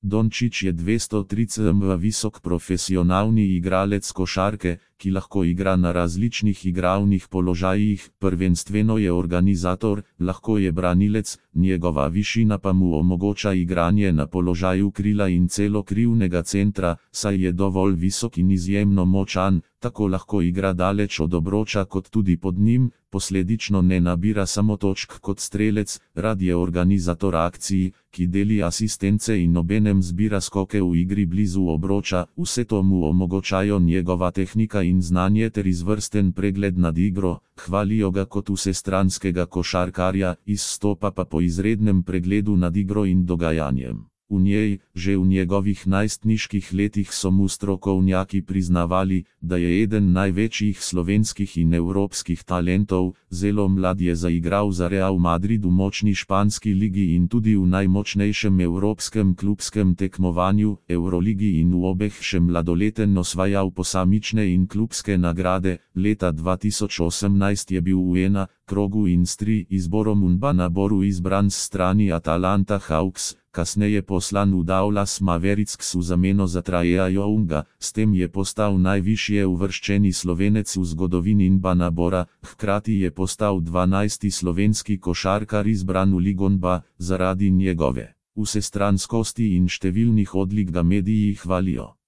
Dončić je 203 cm visok profesionalni igralec košarke, ki lahko igra na različnih igralnih položajih, prvenstveno je organizator, lahko je branilec, njegova višina pa mu omogoča igranje na položaju krila in celokrivnega centra, saj je dovolj visok in izjemno močan, tako lahko igra daleč od obroča kot tudi pod njim, posledično ne nabira samo točk kot strelec, rad je organizator akcij, ki deli asistence in obenem zbira skoke v igri blizu obroča, vse to mu omogočajo njegova tehnika in znanje ter izvrsten pregled nad igro, hvalijo ga kot vsestranskega košarkarja, izstopa pa po izrednem pregledu nad igro in dogajanjem. V njej, že v njegovih najstniških letih so mu strokovnjaki priznavali, da je eden največjih slovenskih in evropskih talentov, zelo mlad je zaigral za Real Madrid v močni španski ligi in tudi v najmočnejšem evropskem klubskem tekmovanju, Euroligi, in v obeh še mladoleten osvajal posamične in klubske nagrade. Leta 2018 je bil v ena krogu in s 3 izborom v naboru izbran s strani Atalanta Hawks, kasneje poslan v Dallas Mavericks v zameno za Traeja Younga, s tem je postal najvišje uvrščeni Slovenec v zgodovini NBA nabora, hkrati je postal 12. slovenski košarkar izbran v Ligo NBA, zaradi njegove vsestranskosti in številnih odlik ga mediji hvalijo.